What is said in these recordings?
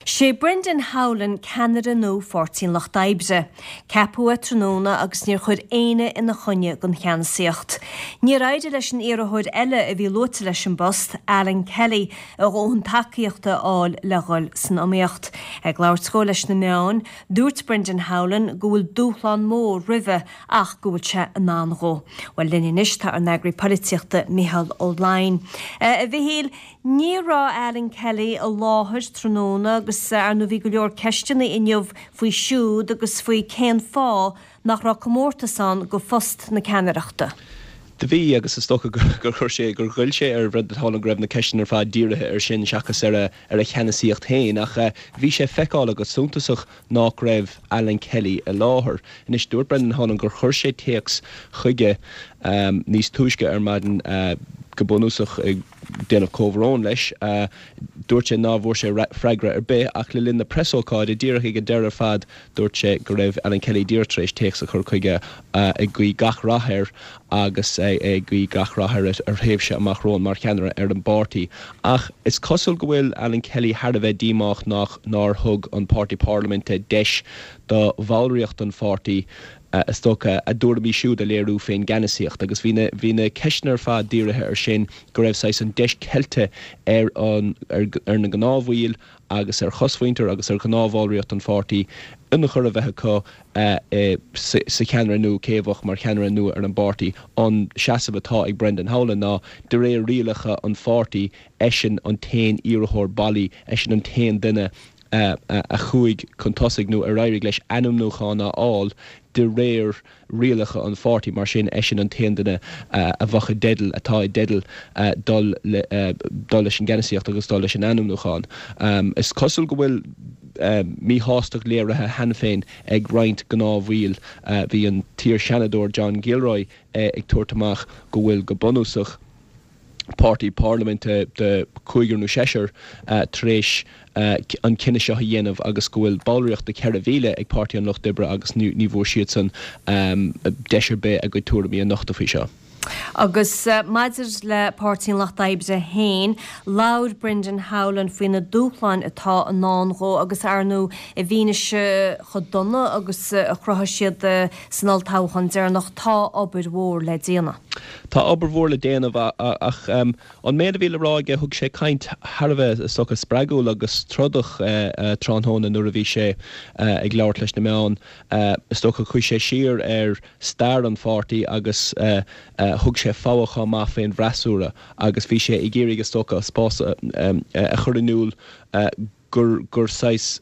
Sé Brendan Howlin ceannaire nua Pháirtí an Lucht Oibre. Ceapadh é tráthnóna agus níor chuir éinne ina choinne don cheannasaíocht. Níor éirigh leis an iarrthóir eile a bhí luaite leis an bpost, Alan Kelly, a dhóthain tacaíochta a fháil le dhul san iomaíocht. Ag labhairt dhó leis na meáin, dúirt Brendan Howlin go bhfuil dúshlán mór roimhe ach go bhfuil sé in ann dhó. Bhuel, linn anois tá ár n-eagraí polaitíochta Micheál Ó Laighin. A Mhichíl, Ní raibh Alan Kelly i láthair tráthnóna agus ar ndóigh bhí go leor ceisteanna inniu faoi siúd agus faoi cén fáth nach raibh comórtas ann go phost na ceannaireachta. Do bhí, agus is dócha gur chuir sé, gur ghoill sé ar Bhrendan Howlin go raibh na ceisteanna ar fad dírithe air sin seachas ar a ar a cheannasaíocht féin. Ach bhí sé feiceálach go suntasach nách raibh Alan Kelly i láthair. Anois, dúirt Brendan Howlin gur chuir sé téacs chuige níos túisce ar maidin go bunúsach ag déanamh comhbhrón leis. Dúirt sé ná bhfuair sé freagra ar bith ach le linn na preasócáide, díreach ag an deireadh ar fad, dúirt sé go raibh Alan Kelly díreach tar éis téacs a chur chuige ag guí gach rath air agus ag guí gach rath ar a thréimhse amach romhainn mar cheannaire ar an bpáirtí. Ach is cosúil go bhfuil Alan Kelly thar a bheith díomách nach nár thug an páirtí parlaiminte deis do bhallraíocht an pháirtí is dócha, a dtuairimí siúd a léiriú fén gceannasaíocht agus bhí na, bhí na ceisteanna ar fad dírithe ar sin, go raibh saghas an deis ceilte ar an, ar, ar na gnáthbhaill agus ar chosmhuintir agus ar ghnáthbhallraíocht an pháirtí ionchur a bheith acu sa, sa cheannaire nua, cé a bheadh mar cheannaire nua ar an bpáirtí. An seasamh atá ag Brendan Howlin ná, de réir rialacha an pháirtí, eisean an t-aon iarrthóir bailí, eisean an t-aon duine a chuaigh chun tosaigh nó ar éirigh leis ainmniúchán a fháil de réir rialacha an pháirtí. Mar sin, eisean an t-aon duine a bheadh i dteideal, atá i dteideal dul dul leis an gceannasaíocht agus dul leis an ainmniúchán. Is cosúil go bhfuil míshástacht léirithe cheana féin ag roinnt gnáthbhaill. Bhí an t-iar-Sheanadóir John Gilroy ag tabhairt amach go bhfuil go bunúsach, páirtí parlaiminte de chúigear nó seisear tar éis an cinneadh seo a dhéanamh agus go bhfuil ballraíocht de 4,000 ag Páirtí an Lucht Oibre agus ní bhfuair siadsan deis ar bith a gcuid tuairimí a nochtadh faoi seo. Agus maidir le Páirtí an Lucht Oibre féin, labhair Brendan Howlin faoi na dúshláin atá i ndán dhó agus ar ndóigh i bhfianaise chomh dona agus a chruthaigh siad san olltoghchán deireanach, tá obair mhór le déanamh. Tá obair mhór le déanamh ach an méid a bhí le rá aige, thug sé caint thar a bheith, is dócha, spreagúil agus trodach tráthnóna nuair a bhí sé ag labhairt leis na meáin. Is dócha, chuaigh sé siar ar stair an pháirtí agus thug sé fogha chomh maith fén bhfreasúra agus bhí sé ag iarraidh, is dócha, spás a chur in iúl gur gur saghas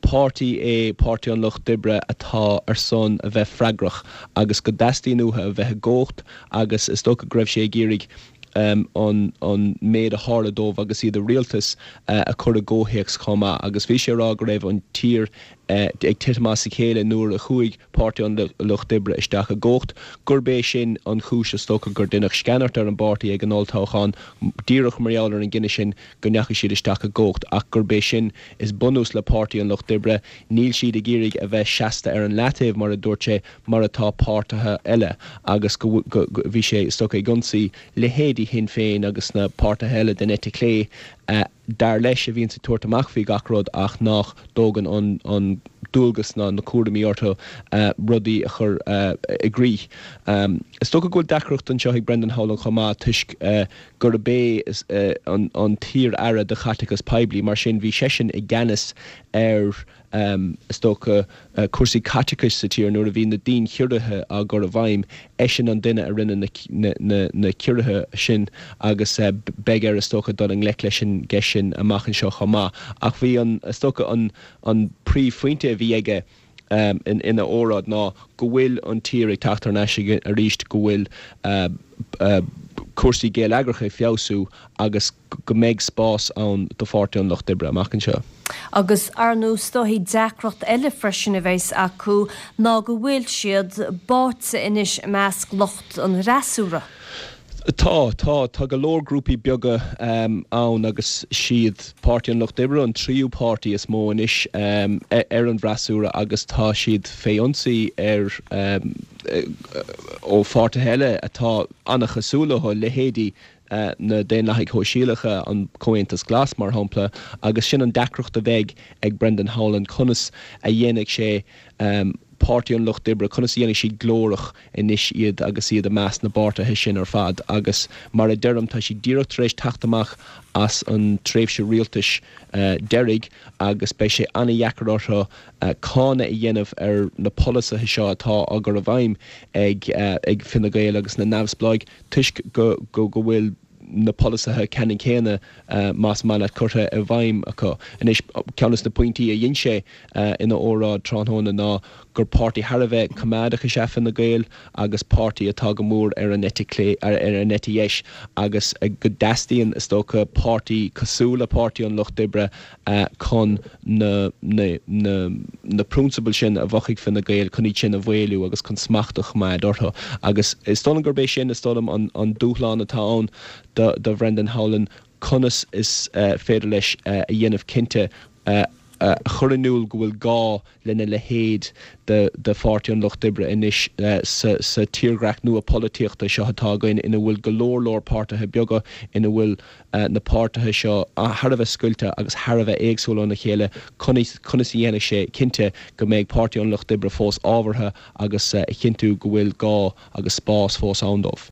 páirtí é Páirtí an Lucht Oibre atá ar son a bheith freagrach agus go dteastaíonn uathu a bheith i gcumhacht agus is dócha go raibh sé ag iarraidh an an méid a tharla dóibh agus iad i rialtas a chur i gcomhthéacs chomh maith agus bhí sé ag rá go raibh an tír ag titim as a chéile nuair a chuaigh Páirtí an Lucht Oibre isteach i gcumhacht, gurb é sin an chúis is dócha gur deineadh sceanairt ar an bpáirtí ag an olltoghchán díreach mar gheall ar an gcinneadh sin go ndeachaigh siad isteach i gcumhacht ach gurb é sin is bunús le Páirtí an Lucht Oibre. Níl siad ag iarraidh a bheith seasta ar an leataobh, mar a dúirt sé, mar atá páirtithe eile agus go bhí sé, is dócha, ag ionsaí leithéidí Shinn Féin agus na páirtithe eile den eite chlé, dar leis, a bhíonns ag tabhairt amach faoi gach rud ach nách dtógann an dualgas ná na cúraimí orthu rudaí a chur i gcrích. Is dócha go bhfuil deacracht anseo ag Brendan Howlin chomh maith toisc gurb é an t-iar-aire do chaiteachas poiblí, mar sin bhí seisean i gceannas ar, is dócha, cúrsaí caiteachais sa tír nuair a bhí na dianchiorruithe á gcur i bhfeidhm. Eisean an duine a rinne na ciorruithe sin agus beidh air, is dócha, dul i ngleic leis an gceist sin amach anseo chomh maith. Ach bhí an, is dócha, an príomhphointe a bhí aige, ina óráid ná go bhfuil an tír ag teacht thar n-ais arís, go bhfuil cúrsaí geilleagracha ag feabhsú agus go mbeidh spás ann do Pháirtí an Lucht Oibre amach anseo. Agus ar ndóigh is dóichí deacracht eile freisin a bheas acu ná go bhfuil siad báite anois i measc lucht an fhreasúra. Tá, tá. Tá go leor grúpaí beaga ann agus siad Páirtí an Lucht Oibre an tríú páirtí is mó anois ar an bhfreasúra agus tá siad fé ionsaí ar ó pháirtithe eile atá an-chosúil leo, leithéidí. Na Daonlathaigh Shóisialacha, an Comhaontas Glas, mar shampla, agus sin an deacracht a bheidh ag Brendan Howlin, conas a dhéanfaidh sé Páirtí an Lucht Oibre, conas a dhéanfaidh siad glórach anois iad agus iad i measc na bpáirtithe sin ar fad. Agus mar a deirim, tá siad díreach tar éis teacht amach as an tréimhse rialtais deiridh agus beidh sé an-dheacair orthu cáineadh a dhéanamh ar na polasaithe seo atá á gcur i bhfeidhm ag Fine Gael agus na Neamhspleáigh. toisc go go bhfuil na polasaithe ceannann céanna, más maith leat, curtha i bhfeidhm acu. Anois, ceann des na pointí a dhein sé ina óráid tráthnóna ná gur páirtí thar a bheith coimeádach is ea Fine Gael agus páirtí atá go mór ar an eite clé, ar an eite dheis agus go dteastaíonn, is dócha, páirtí cosúil le Páirtí an Lucht Oibre chun na na prionsabail sin a mhothaigh Fine Gael, chun iad sin a mhaolú agus chun smacht a choimeád orthu. Agus is dóigh liom gurb é sin, is dóigh liom, an dúshlán atá ann do Bhrendan Howlin, conas is féidir leis a dhéanamh cinnte a chur in iúl go bhfuil gá lena leithéid de Pháirtí an Lucht Oibre anois sa tírdhreach nua polaitíochta seo atá againn ina bhfuil go leor leor páirtithe beaga, ina bhfuil na páirtithe seo thar a bheith scoilte agus thar a bheith éagsúil óna chéile, conas a dhéanfaidh sé cinnte go mbeidh Páirtí an Lucht Oibre fós ábhartha agus a chinntiú go bhfuil gá agus spás fós ann dóibh.